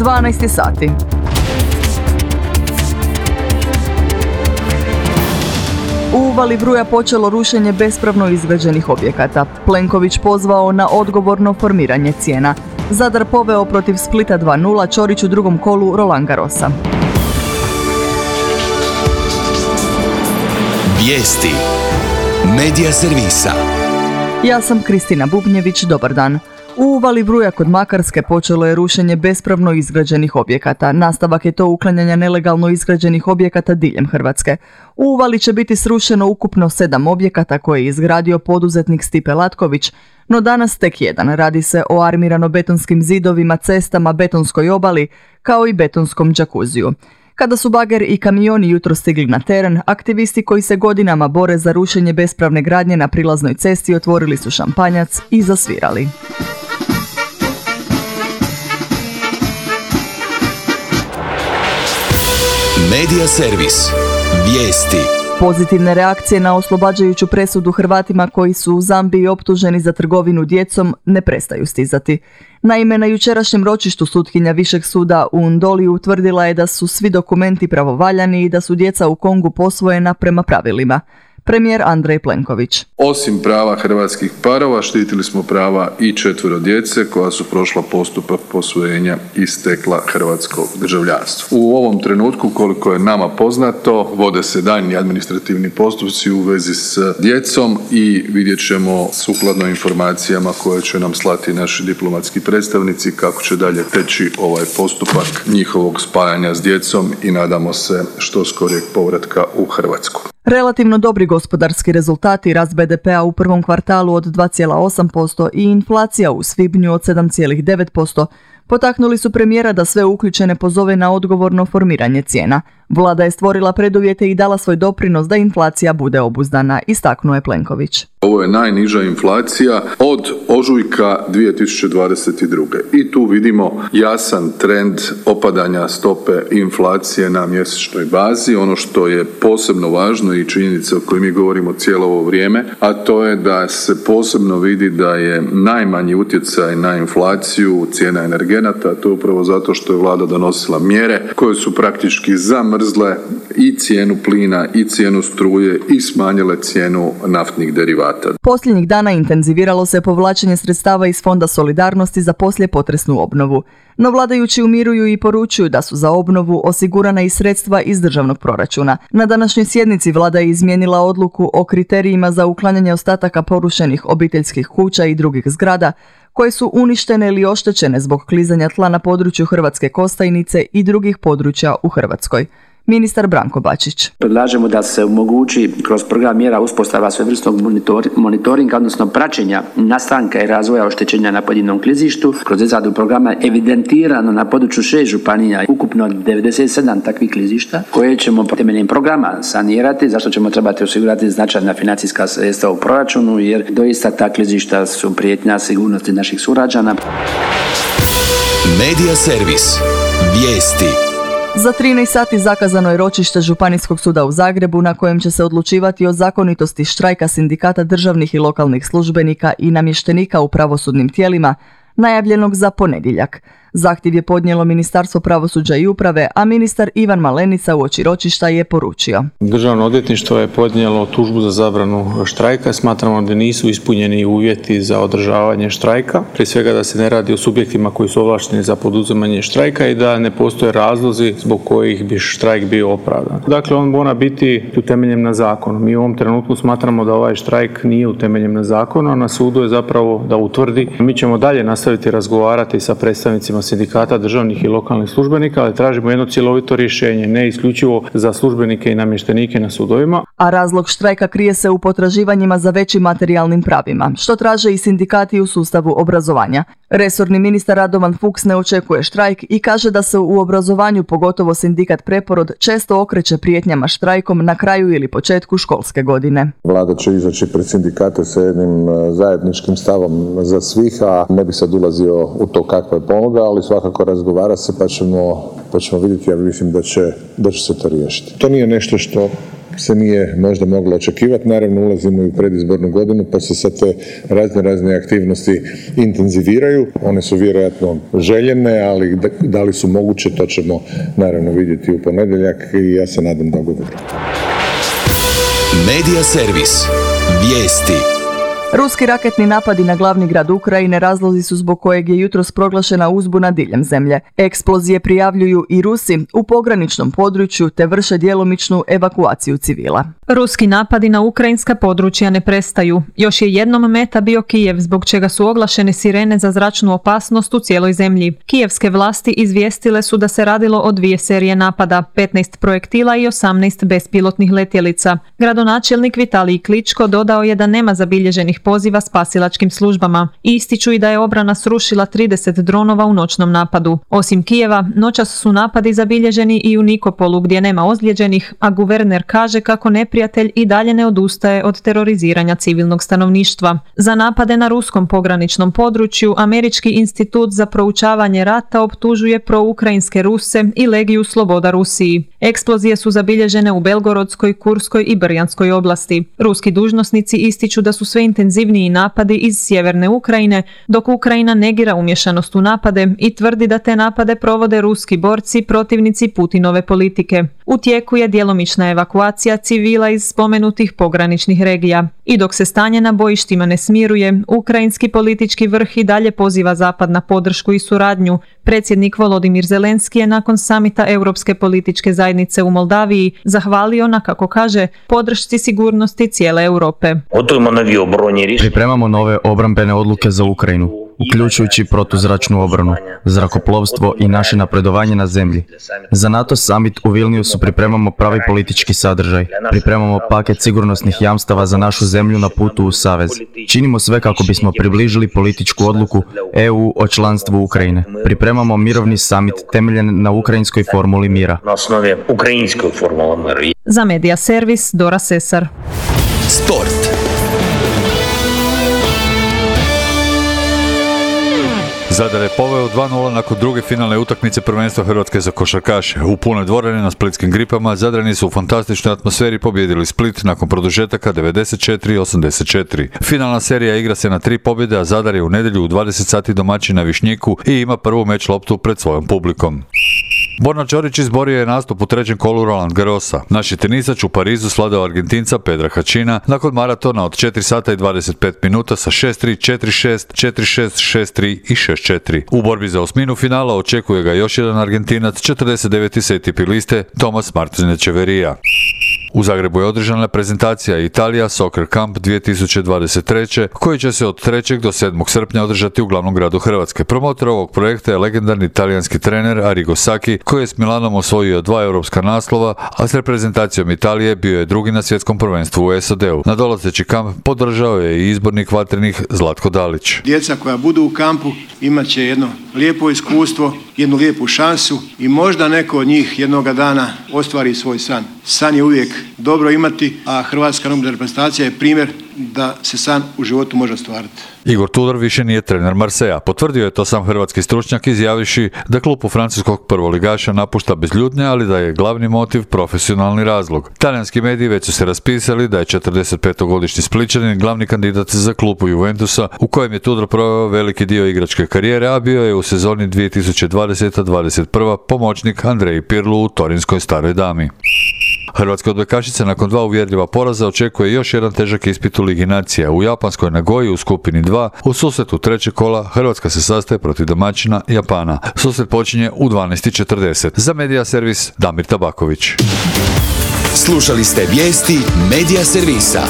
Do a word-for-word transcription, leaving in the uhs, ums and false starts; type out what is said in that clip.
dvanaest je sati. U uvali Vruja počelo rušenje bespravno izgrađenih objekata. Plenković pozvao na odgovorno formiranje cijena. Zadar poveo protiv Splita dva nula, Ćorić u drugom kolu Roland Garrosa. Vijesti Medija servisa. Ja sam Kristina Bubnjević, dobar dan. U uvali Vruja kod Makarske počelo je rušenje bespravno izgrađenih objekata. Nastavak je to uklanjanja nelegalno izgrađenih objekata diljem Hrvatske. U uvali će biti srušeno ukupno sedam objekata koje je izgradio poduzetnik Stipe Latković, no danas tek jedan. Radi se o armirano-betonskim zidovima, cestama, betonskoj obali, kao i betonskom džakuziju. Kada su bager i kamioni jutro stigli na teren, aktivisti koji se godinama bore za rušenje bespravne gradnje na prilaznoj cesti otvorili su šampanjac i zasvirali. Medija servis. Vijesti. Pozitivne reakcije na oslobađajuću presudu Hrvatima koji su u Zambiji optuženi za trgovinu djecom ne prestaju stizati. Naime, na jučerašnjem ročištu sutkinja Višeg suda u Ndoli utvrdila je da su svi dokumenti pravovaljani i da su djeca u Kongu posvojena prema pravilima. Premijer Andrej Plenković. Osim prava hrvatskih parova, štitili smo prava i četvero djece koja su prošla postupak posvojenja i stekla hrvatsko državljanstvo. U ovom trenutku, koliko je nama poznato, vode se daljnji administrativni postupci u vezi s djecom i vidjet ćemo sukladno informacijama koje će nam slati naši diplomatski predstavnici kako će dalje teći ovaj postupak njihovog spajanja s djecom i nadamo se što skorijeg povratka u Hrvatsku. Relativno dobri gospodarski rezultati, rast be de pea u prvom kvartalu od dva zarez osam posto i inflacija u svibnju od sedam zarez devet posto potaknuli su premijera da sve uključene pozove na odgovorno formiranje cijena. Vlada je stvorila preduvjete i dala svoj doprinos da inflacija bude obuzdana, istaknuo je Plenković. Ovo je najniža inflacija od ožujka dvije tisuće dvadeset druge. I tu vidimo jasan trend opadanja stope inflacije na mjesečnoj bazi. Ono što je posebno važno i činjenica o kojoj mi govorimo cijelo ovo vrijeme, a to je da se posebno vidi da je najmanji utjecaj na inflaciju cijena energenata. To je upravo zato što je vlada donosila mjere koje su praktički zamrzle i cijenu plina i cijenu struje i smanjile cijenu naftnih derivata. Posljednjih dana intenziviralo se povlačenje sredstava iz Fonda solidarnosti za poslijepotresnu obnovu. No vladajući umiruju i poručuju da su za obnovu osigurana i sredstva iz državnog proračuna. Na današnjoj sjednici vlada je izmijenila odluku o kriterijima za uklanjanje ostataka porušenih obiteljskih kuća i drugih zgrada koje su uništene ili oštećene zbog klizanja tla na području Hrvatske Kostajnice i drugih područja u Hrvatskoj. Ministar Branko Bačić. Predlažemo da se omogući kroz program mjera uspostava svevrsnog monitor, monitoringa, odnosno praćenja nastanka i razvoja oštećenja na pojedinom klizištu. Kroz izradu programa evidentirano na području šest županija ukupno devedeset sedam takvih klizišta koje ćemo temeljem programa sanirati, zašto ćemo trebati osigurati značajna financijska sredstva u proračunu, jer doista ta klizišta su prijetnja sigurnosti naših sugrađana. Medija servis. Vijesti. Za trinaest sati zakazano je ročište Županijskog suda u Zagrebu na kojem će se odlučivati o zakonitosti štrajka sindikata državnih i lokalnih službenika i namještenika u pravosudnim tijelima, najavljenog za ponedjeljak. Zahtjev je podnijelo Ministarstvo pravosuđa i uprave, a ministar Ivan Malenica uoči ročišta je poručio. Državno odvjetništvo je podnijelo tužbu za zabranu štrajka. Smatramo da nisu ispunjeni uvjeti za održavanje štrajka. Prije svega da se ne radi o subjektima koji su ovlašteni za poduzimanje štrajka i da ne postoje razlozi zbog kojih bi štrajk bio opravdan. Dakle, on mora biti utemeljen na zakonu. Mi u ovom trenutku smatramo da ovaj štrajk nije utemeljen na zakonu, a na sudu je zapravo da utvrdi. Mi ćemo dalje nastaviti razgovarati sa predstavnicima sindikata državnih i lokalnih službenika, ali tražimo jedno cjelovito rješenje, ne isključivo za službenike i namještenike na sudovima. A razlog štrajka krije se u potraživanjima za većim materijalnim pravima, što traže i sindikati u sustavu obrazovanja. Resorni ministar Radovan Fuchs ne očekuje štrajk i kaže da se u obrazovanju, pogotovo sindikat Preporod, često okreće prijetnjama štrajkom na kraju ili početku školske godine. Vlada će izaći pred sindikate sa jednim zajedničkim stavom za svih, a ne bi sad ulazio u to kakva je ponuda, ali svakako razgovara se pa ćemo, pa ćemo vidjeti, ja mislim da će, da će se to riješiti. To nije nešto što se nije možda moglo očekivati. Naravno, ulazimo i u predizbornu godinu, pa se sad te razne razne aktivnosti intenziviraju. One su vjerojatno željene, ali da, da li su moguće, to ćemo naravno vidjeti u ponedjeljak i ja se nadam dogovoru. Medija servis. Vijesti. Ruski raketni napadi na glavni grad Ukrajine razlozi su zbog kojeg je jutros proglašena uzbuna diljem zemlje. Eksplozije prijavljuju i Rusi u pograničnom području te vrše djelomičnu evakuaciju civila. Ruski napadi na ukrajinska područja ne prestaju. Još je jednom meta bio Kijev, zbog čega su oglašene sirene za zračnu opasnost u cijeloj zemlji. Kijevske vlasti izvijestile su da se radilo o dvije serije napada, petnaest projektila i osamnaest bespilotnih letjelica. Gradonačelnik Vitalij Kličko dodao je da nema zabilježenih poziva spasilačkim službama. Ističu i da je obrana srušila trideset dronova u noćnom napadu. Osim Kijeva, noćas su napadi zabilježeni i u Nikopolu gdje nema ozlijeđenih, a guverner kaže kako neprijatelj i dalje ne odustaje od teroriziranja civilnog stanovništva. Za napade na ruskom pograničnom području Američki institut za proučavanje rata optužuje proukrajinske Ruse i Legiju Sloboda Rusiji. Eksplozije su zabilježene u Belgorodskoj, Kurskoj i Brjanskoj oblasti. Ruski dužnosnici ističu da su sve intenzivniji napadi iz sjeverne Ukrajine, dok Ukrajina negira umješanost u napade i tvrdi da te napade provode ruski borci protivnici Putinove politike. U tijeku je djelomična evakuacija civila iz spomenutih pograničnih regija. I dok se stanje na bojištima ne smiruje, ukrajinski politički vrh i dalje poziva Zapad na podršku i suradnju. Predsjednik Volodimir Zelenski je nakon samita Europske političke zajednice u Moldaviji zahvalio na, kako kaže, podršci sigurnosti cijele Europe. Pripremamo nove obrambene odluke za Ukrajinu, uključujući protuzračnu obranu, zrakoplovstvo i naše napredovanje na zemlji. Za NATO summit u Vilniusu pripremamo pravi politički sadržaj. Pripremamo paket sigurnosnih jamstava za našu zemlju na putu u Savez. Činimo sve kako bismo približili političku odluku E U o članstvu Ukrajine. Pripremamo mirovni summit temeljen na ukrajinskoj formuli mira. Za Medija servis Dora Sesar. Sport. Zadar je poveo dva nula nakon druge finalne utakmice prvenstva Hrvatske za košarkaše. U punoj dvorani na splitskim gripama Zadrani su u fantastičnoj atmosferi pobijedili Split nakon produžetaka devedeset četiri osamdeset četiri. Finalna serija igra se na tri pobjede, a Zadar je u nedjelju u dvadeset sati domaćin na Višnjiku i ima prvu meč loptu pred svojom publikom. Borna Ćorić izborio je nastup u trećem kolu Roland Garrosa. Naši tenisač u Parizu svladao Argentinca Pedra Hačina nakon maratona od četiri sata i dvadeset pet minuta sa šest tri, četiri šest, četiri šest, šest tri i šest četiri. U borbi za osminu finala očekuje ga još jedan Argentinac, četrdeset deveti s A T P liste, Tomas Martin Echeverija. U Zagrebu je održana prezentacija Italija Soccer Camp dvije tisuće dvadeset treće koji će se od trećeg do sedmog srpnja održati u glavnom gradu Hrvatske. Promotor ovog projekta je legendarni talijanski trener Arrigo Sacchi koji je s Milanom osvojio dva europska naslova, a s reprezentacijom Italije bio je drugi na svjetskom prvenstvu u S A D-u. Na dolazeći kamp podržao je i izbornik vatrenih Zlatko Dalić. Djeca koja budu u kampu imat će jedno lijepo iskustvo, jednu lijepu šansu i možda neko od njih jednoga dana ostvari svoj san. San je uvijek dobro imati, a hrvatska nogometna reprezentacija je primjer da se san u životu može ostvariti. Igor Tudor više nije trener Marseja. Potvrdio je to sam hrvatski stručnjak izjavivši da klub u francuskog prvoligaša napušta bez ljutnje, ali da je glavni motiv profesionalni razlog. Talijanski mediji već su se raspisali da je četrdesetpetogodišnji Splićanin glavni kandidat za klub Juventusa, u kojem je Tudor proveo veliki dio igračke karijere, a bio je u sezoni dvije tisuće dvadeseta dvadeset prva pomoćnik Andreji Pirlu u Torinskoj staroj dami. Hrvatska odbojkašica nakon dva uvjerljiva poraza očekuje još jedan težak ispit u Ligi nacija. U japanskoj Nagoji u skupini dva u susretu trećeg kola Hrvatska se sastaje protiv domaćina Japana. Susret počinje u dvanaest i četrdeset. Za Medija servis Damir Tabaković. Slušali ste vijesti Medija servisa.